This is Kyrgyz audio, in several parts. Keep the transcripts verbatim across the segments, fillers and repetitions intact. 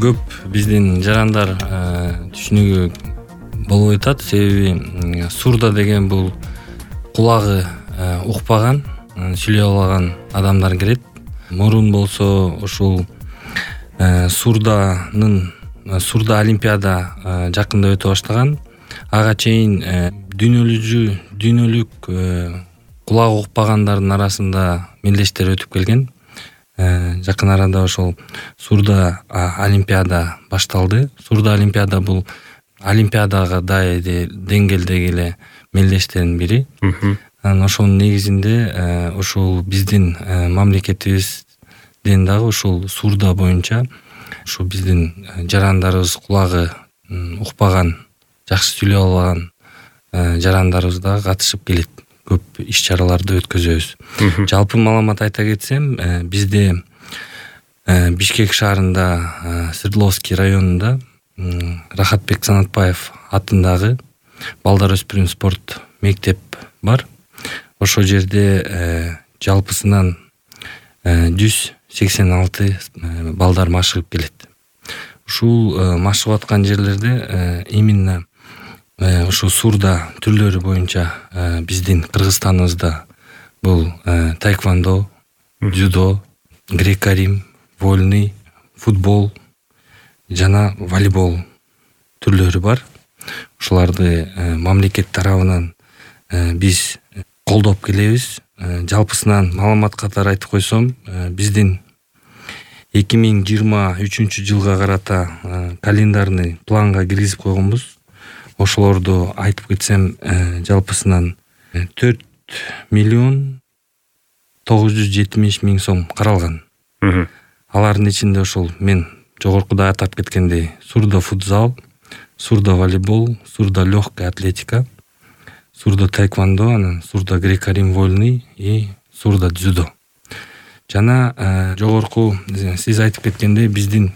көп биздин жарандар түшүнүгү болбой атат, себеби сурда деген бул кулагы укпаган, сүйлөй албаган адамдар кирет. Мурун болсо ушул сурданын сурда олимпиада жакында өтө баштаган. Ага чейин дүйнөлүк дүйнөлүк кулагы укпагандардын арасында мелдештер өтүп келген. Жакын арада ошол сурда олимпиада башталды. Сурда олимпиада бул олимпиадага дайы деңгээлдеги эле мелдештердин бири. Анан ошонун негизинде ушул биздин мамлекетибизден дагы ушул сурда боюнча ушу биздин жарандарыбыз кулагы укпаган, жакшы сүйлөй албаган жарандарыбыз дагы катышып келет. Көп иш-чараларды өткөзөбүз. Жалпы маалымат айта кетсем, бизде Бишкек шаарында Свердловский районунда Рахатбек Санатбаев атындагы балдар өспүрүм спорт мектеп бар. Ошол жерде жалпысынан жүз сексен алты балдар машыгып келет. Ушул машыгып аткан жерлерде именно ошо сурда түрлөрү боюнча биздин Кыргызстаныбызда бул таэквондо, дзюдо, греко-рим, вольный, футбол жана волейбол түрлөрү бар. Ушуларды мамлекет тарабынан биз колдоп келебиз. Жалпысынан маалымат катары айтып койсом, биздин эки миң жыйырма үчүнчү жылга карата календарный планга киргизип койгонбуз. Ошолорду айтып кетсем, жалпысынан төрт миллион тогуз жүз жетимиш миң сом каралган. Алардын ичинде ошол мен жогоркуда атап кеткендей сурда футзал, сурда волейбол, сурда лёгкая атлетика, сурда таэквондо, анан сурда греко-рим вольный и сурда дзюдо. Жана жогорку сиз айтып кеткендей биздин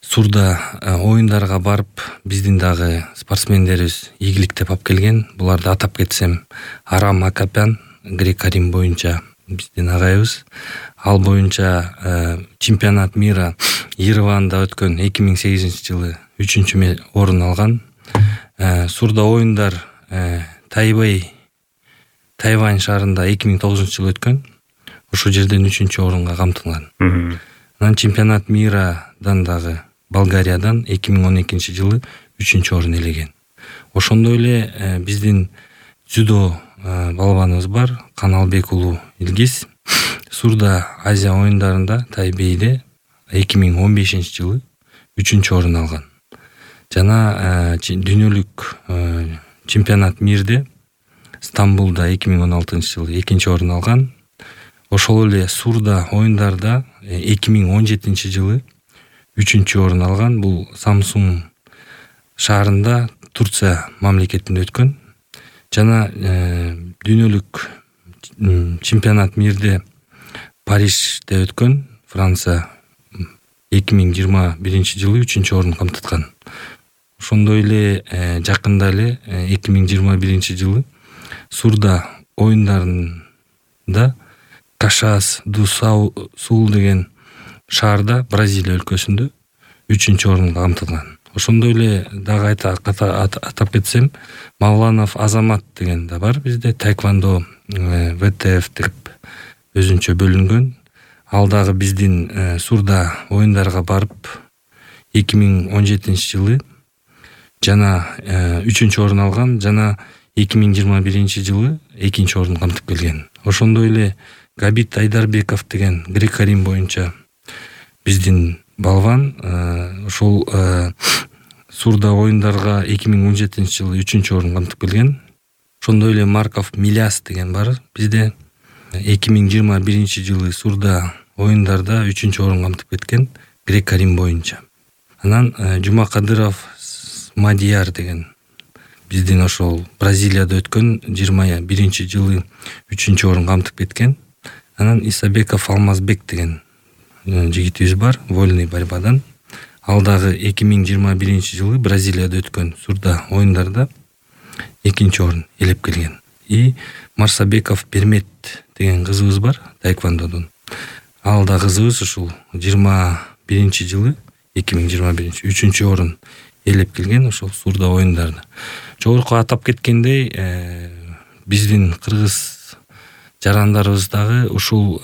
сурда оюндарга барып биздин дагы спортсмендерибиз ийгиликтеп алып келген. Буларды атап кетсем, Арам Акапян греко-рим боюнча биздин агайыбыз. Ал боюнча чемпионат мира Ереванда өткөн эки миң сегизинчи жылы үчүнчү орун алган. Сурда оюндар Тайбэй, Тайвань шаарында эки миң тогузунчу жылы өткөн. Ошол жерден үчүнчү орунга камтылган. Анан чемпионат мирадан дагы Болгариядан эки миң он экинчи жылы үчүнчү орун ээлеген. Ошондой эле биздин дзюдо балбаныбыз бар, Каналбек уулу Илгиз. Сурда Азия оюндарында Тайбэйде эки миң он бешинчи жылы үчүнчү орун алган. Жана дүйнөлүк чемпионат мирде Стамбулда эки миң он алтынчы жылы экинчи орун алган. Ошол эле сурда оюндарда эки миң он жетинчи жылы үчүнчү орун алган. Бул Самсун шаарында Турция мамлекетинде өткөн. Жана дүйнөлүк чемпионат мирде Парижде өткөн. Франция эки миң жыйырма биринчи жылы үчүнчү орун камтыткан. Ошондой эле жакында эле эки миң жыйырма биринчи жылы сурда оюндарында Кашас ду Сул деген шаарда Бразилия өлкөсүндө үчүнчү орунга камтылган. Ошондой эле дагы атап кетсем, Мавланов Азамат деген да бар бизде. Таэквондо вэ тэ эф деп өзүнчө бөлүнгөн. Ал дагы биздин сурда оюндарга барып эки миң он жетинчи жылы жана үчүнчү орун алган, жана эки миң жыйырма биринчи жылы экинчи орун камтып келген. Ошондой эле Габит Айдарбеков деген греко-рим боюнча биздин балван, ошол сурда оюндарга эки миң он жетинчи жылы үчүнчү орун камтып келген. Ошондой эле Марков Миляс деген бар бизде. эки миң жыйырма биринчи жылы сурда оюндарда үчүнчү орун камтып кеткен греко-рим боюнча. Анан Жумакадыров Мадияр деген биздин ошол Бразилияда өткөн жыйырма биринчи жылы үчүнчү орун камтып кеткен. Анан Исабеков Алмазбек деген жигитибиз бар, вольный борьбадан. Ал дагы эки миң жыйырма биринчи жылы Бразилияда өткөн сурда оюндарда экинчи орун ээлеп келген. И Марсабеков Бермет деген кызыбыз бар, таэквондодон. Ал да кызыбыз ушул жыйырма биринчи жылы эки миң жыйырма биринчи үчүнчү орун ээлеп келген ошол Сурда оюндарында. Жогорку атап кеткендей, биздин кыргыз жарандарыбыз дагы ушул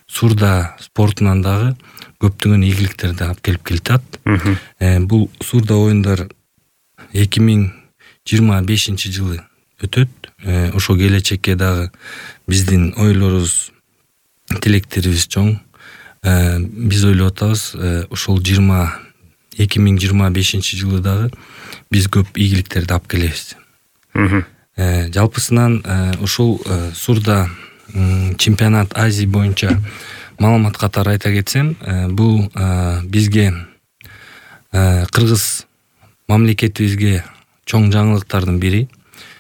Сурда спортунан дагы көптөгөн ийгиликтерди алып келип келатат. Бул Сурда оюндар эки миң жыйырма бешинчи жылы өтөт. Ошо келечекке дагы биздин ойлорубуз, тилектерибиз чоң. Биз ойлоп атабыз, ошол эки миң жыйырма бешинчи жылы дагы биз көп ийгиликтерди алып келебиз. Жалпысынан ушул Сурда чемпионат Азия боюнча маалымат катары айта кетсем, бул бизге кыргыз мамлекетибизге чоң жаңылыктардын бири.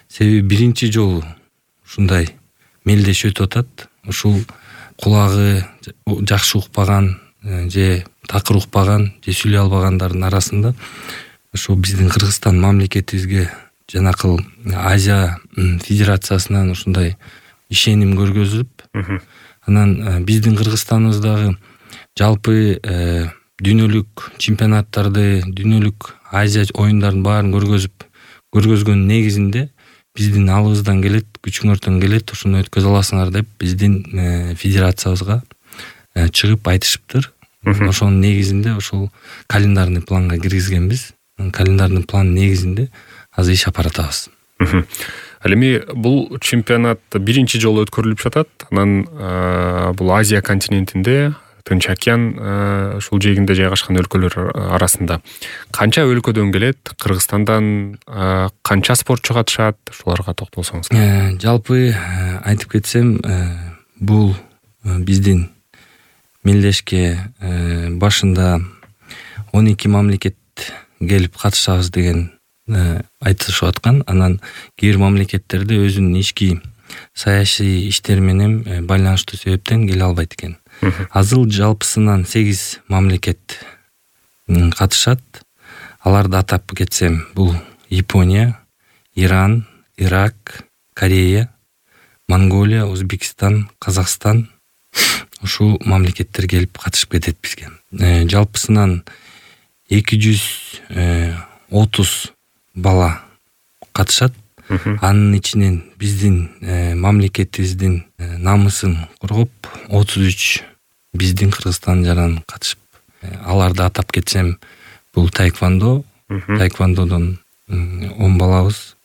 Себеби биринчи жолу ушундай мелдеш өтүп атат. Ушул кулагы жакшы укпаган же такыр укпаган же сүйлөй албагандардын арасында ошо биздин Кыргызстан мамлекетибизге жанакыл Азия федерациясынан ушундай ишеним көргөзүлүп, анан биздин Кыргызстаныбыздагы жалпы дүйнөлүк чемпионаттарды, дүйнөлүк Азия оюндарын баарын көргөзүп көргөзгөн негизинде биздин алыбыздан келет, күчүңөрдөн келет, ушуну өткөзө аласыңар деп биздин федерациябызга чыгып айтышыптыр. Ошонун негизинде ошол календарный планга киргизгенбиз. Календарный план негизинде азыр иш алып баратабыз. Ал эми бул чемпионат биринчи жолу өткөрүлүп жатат. Анан бул Азия континентинде, Тынч океан ушул жээгинде жайгашкан өлкөлөр арасында канча өлкөдөн келет? Кыргызстандан канча спортчу катышат? Ушуларга токтолсоңуз. Жалпы айтып кетсем, бул биздин мелдешке башында он эки мамлекет келип катышабыз деген айтышып аткан. Анан кээ бир мамлекеттерде өзүнүн ички саясий иштери менен байланыштуу себептен келе албайт экен. Азыр жалпысынан сегиз мамлекет катышат. Аларды атап кетсем, бул Япония, Иран, Ирак, Корея, Монголия, Өзбекстан, Казакстан. Ушул мамлекеттер келип катышып кетет бизге. Жалпысынан эки жүз отуз бала катышат. Анын ичинен биздин мамлекетибиздин намысын коргоп отуз үч биздин Кыргызстан жаран катышып. Аларды атап кетсем, бул таэквондо, таэквондодон он балабыз,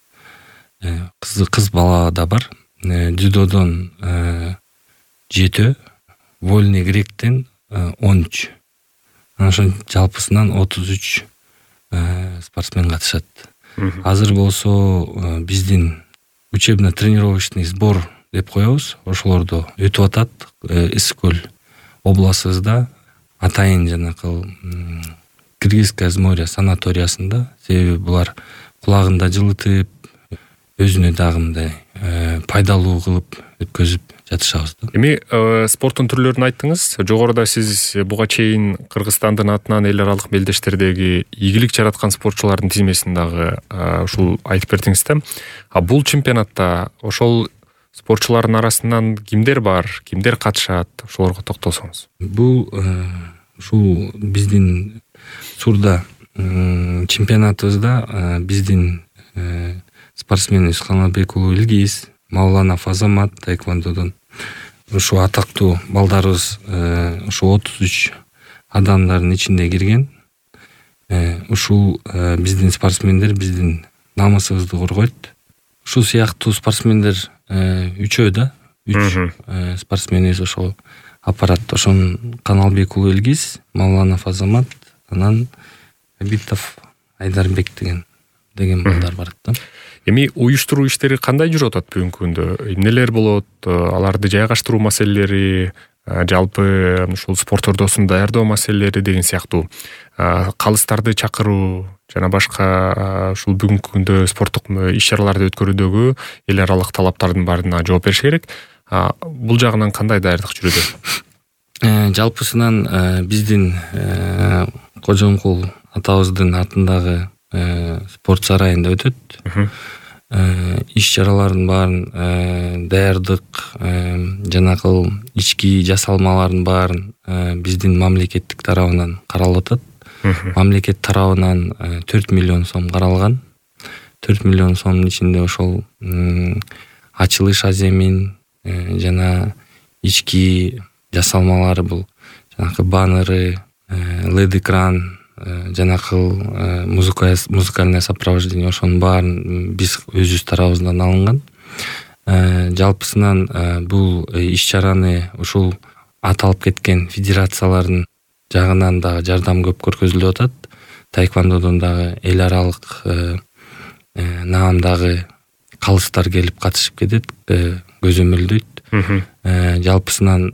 кыз бала да бар. Дзюдодон жети, вольный гректен он үч. Ошон жалпысынан отуз үч спортсмен катышат. Азыр болсо биздин учебно-тренировочный сбор деп коебуз. Ошолордо өтүп атат. Ысык көл областыбызда атайын жанакыл Кыргызское море санаториясында. Себеби булар кулагында жылытып, өзүнө дагы мындай пайдалуу кылып өткөзүп жатышабыз. Эми спорттун түрлөрүн айттыңыз. Жогоруда сиз буга чейин Кыргызстандын атынан эл аралык мелдештердеги ийгилик жараткан спортчулардын тизмесин дагы ушул айтып бердиңиз да. А бул чемпионатта ошол спортчулардын арасынан кимдер бар, кимдер катышат? Ошолорго токтолсоңуз. Бул ушул биздин Сурда чемпионатыбызда биздин спортсменибиз Каналбек уулу Илгиз, Мауланов Азамат таэквондодон ушу атактуу балдарыбыз ушу отуз үч адамдардын ичинде кирген. Ушул биздин спортсмендер биздин намысыбызды коргойт. Ушул сыяктуу спортсмендер үчөө да, үч спортсменибиз ошол аппарат. Ошон Каналбек уулу Илгиз, Мауланов Азамат, анан Абитов Айдарбек деген деген балдар бар да. Эми уюштуруу иштери кандай жүрүп атат бүгүнкү күндө? Эмнелер болот? Аларды жайгаштыруу маселелери, жалпы ушул спорт ордосун даярдоо маселелери деген сыяктуу калыстарды чакыруу жана башка ушул бүгүнкү күндө спорттук иш-чараларды өткөрүүдөгү эл аралык талаптардын баарына жооп бериш керек. Бул жагынан кандай даярдык жүрүүдө? Жалпысынан биздин Кожомкул атабыздын атындагы спорт сарайында өтөт. иш чаралардын баарын даярдык, жанагы ички жасалмалардын баарын биздин мамлекеттик тарабынан каралып атат. Мамлекет тарабынан төрт миллион сом каралган. төрт миллион сомдун ичинде ошол ачылыш аземин жана ички жасалмалары, бул жанагы баннеры, лед экран, жанагы музыкальное сопровождение, ошонун баарын биз өзүбүз тарабыбыздан алынган. Жалпысынан бул иш чараны ушул аталып кеткен федерациялардын жагынан дагы жардам көп көргөзүлүп атат. Таэквондодон дагы эл аралык наамдагы калыстар келип катышып кетет, көзөмөлдөйт. Жалпысынан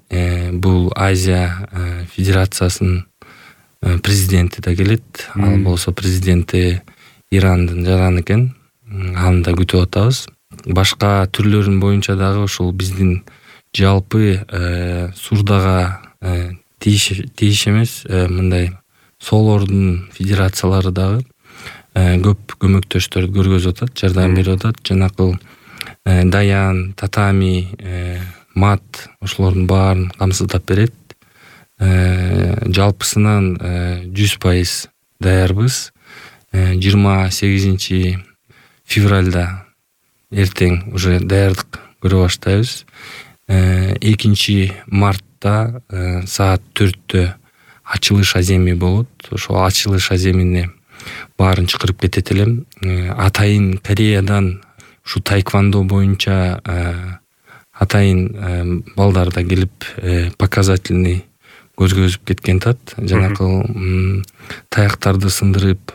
бул Азия федерациясынын президенти да келет. Ал болсо президенти Ирандын жаран экен. Аны да күтүп атабыз. Башка түрлөрүн боюнча дагы ушул биздин жалпы Сурдага тийиш эмес, мындай соолордун федерациялары дагы көп көмөктөштөрдү көргөзүп атат, жардам берип атат. Жанагы Даян, Татами, Мат, ошолордун баарын камсыздап берет. Жалпысынан жүз пайыз даярбыз. жыйырма сегизинчи февралда эртең уже даярдык көрө баштайбыз. экинчи мартта саат төрттө ачылыш аземи болот. Ошол ачылыш аземине баарын чакырып кетет элем. Атайын Кореядан ушу таэквондо боюнча атайын балдар да келип показательный көргөзүп кеткен тат. Жанагы таяктарды сындырып,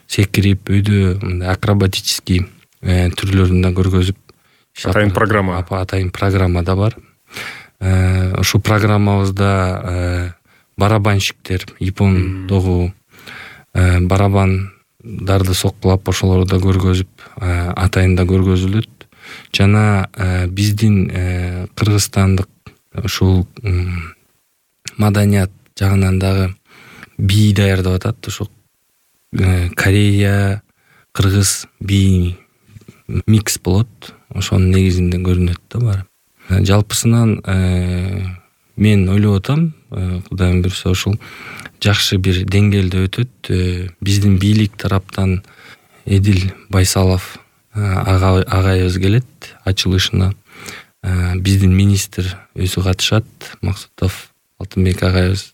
секирип, өйдө акробатический түрлөрүн да көргөзүп, атайын программа атайын программа да бар. Ошол программабызда барабанщиктер, япондогу барабандарды соккулап, ошолорду да көргөзүп, атайын да көргөзүлөт. Жана биздин кыргызстандык ушул маданият жагынан дагы бий даярдап атат. Ошо Корея, кыргыз бий микс болот. Ошонун негизинде көрүнөт да баары. Жалпысынан мен ойлоп атам, Кудайым буйрса ушул жакшы бир деңгээлде өтөт. Биздин бийлик тараптан Эдил Байсалов агайыбыз келет ачылышына. Биздин министр өзү катышат, Максутов Алтынбек агайыбыз.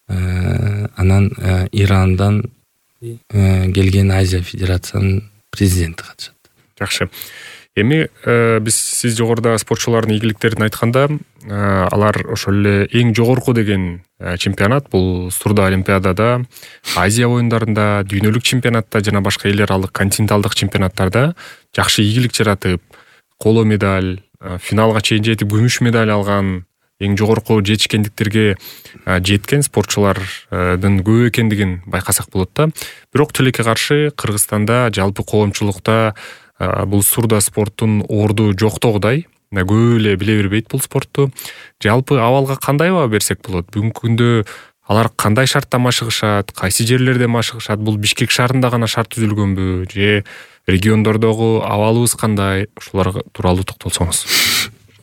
Анан Ирандан келген Азия федерациянын президенти катышат. Жакшы. Эми биз сиз жогоруда спортчулардын ийгиликтерин айтканда, алар ошол эле эң жогорку деген чемпионат бул Сурда олимпиадада, Азия оюндарында, дүйнөлүк чемпионатта жана башка эл аралык континенталдык чемпионаттарда жакшы ийгилик жаратып, коло медаль, финалга чейин жетип күмүш медаль алган, эң жогорку жетишкендиктерге жеткен спортчулардын көп экендигин байкасак болот да. Бирок тилекке каршы Кыргызстанда жалпы коомчулукта бул Сурда спорттун орду жоктогудай, көп эле биле бербейт бул спортту. Жалпы абалга кандай баа берсек болот? Бүгүнкү күндө алар кандай шартта машыгышат, кайсы жерлерде машыгышат? Бул Бишкек шаарында гана шарт түзүлгөнбү же региондордогу абалыбыз кандай? Ушулар тууралуу токтолсоңуз.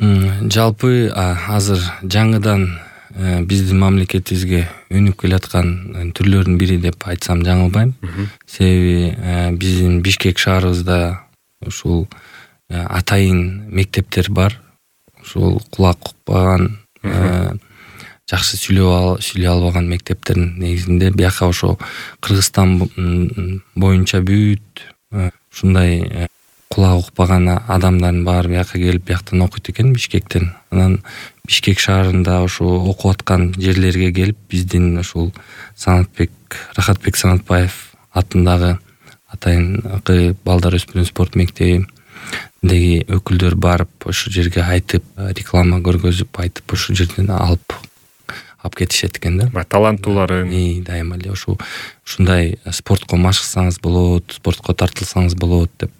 Жалпы азыр жаңыдан биздин мамлекетибизге өнүп келаткан түрлөрдүн бири деп айтсам жаңылбайм. Себеби биздин Бишкек шаарыбызда ушул атайын мектептер бар. Ушул кулак укпаган, жакшы сүйлөй албаган мектептердин негизинде бияка ошо Кыргызстан боюнча бүт ушундай кулак укпаган адамдардын баары бияка келип бияктан окуйт экен, Бишкектен. Анан Бишкек шаарында ошо окуп аткан жерлерге келип биздин ушул Санатбек Рахатбек Санатбаев атындагы атайын балдар өспүрүм спорт мектебиндеги өкүлдөр барып ошол жерге айтып, реклама көргөзүп, айтып ошол жерден алып алып кетишет экен да. Таланттууларын дайыма эле ошо ушундай спортко машыксаңыз болот, спортко тартылсаңыз болот деп.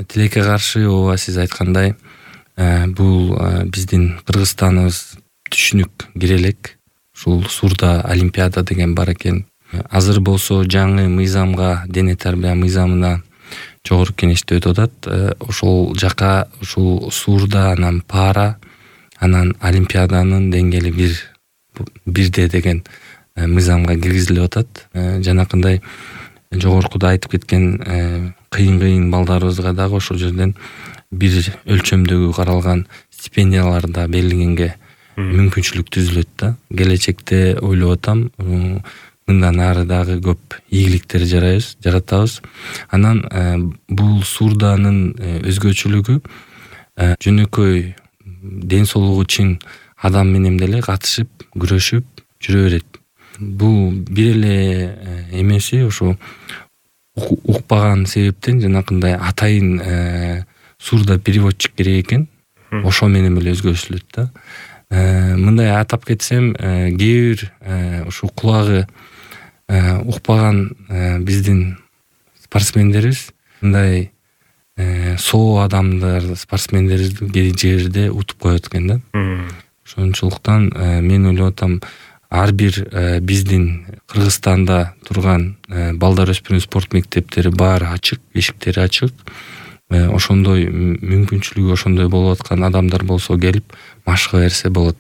Тилекке каршы ооба сиз айткандай, бул биздин Кыргызстаныбыз түшүнүк кире элек. Ушул Сурда олимпиада деген бар экен. Азыр болсо жаңы мыйзамга, дене тарбия мыйзамына жогорку кеңеште өтүп атат. Ошол жака ушул Суурда, анан Пара, анан Олимпиаданын деңгээли бир бирде деген мыйзамга киргизилип атат. Жанакындай жогоркуда айтып кеткен кыйын-кыйын балдарыбызга дагы ошол жерден бир өлчөмдөгү каралган стипендияларда белгиленге мүмкүнчүлүк түзүлөт да. Келечекте ойлоп атам, мындан ары дагы көп ийгиликтер жарайбыз, жаратабыз. Анан бул Суурданын өзгөчөлүгү жөнөкөй ден соолугу чың адам менен деле катышып, күрөшүп жүрө берет. Бул бир эле эмеси ошо укпаган себептен жанакындай атайын Суурда переводчик керек экен. Ошо менен эле өзгөртүлөт да. Мындай атап кетсем, кээ бир ушу кулагы укпаган биздин спортсмендерибиз мындай соо адамдар, спортсмендерибизди кээ жерде утуп коет экен да. Ошончулуктан мен ойлоп атам, ар бир биздин Кыргызстанда турган балдар өспүрүм спорт мектептери баары ачык, эшиктери ачык. Ошондой мүмкүнчүлүгү ошондой болуп аткан адамдар болсо келип машыга берсе болот.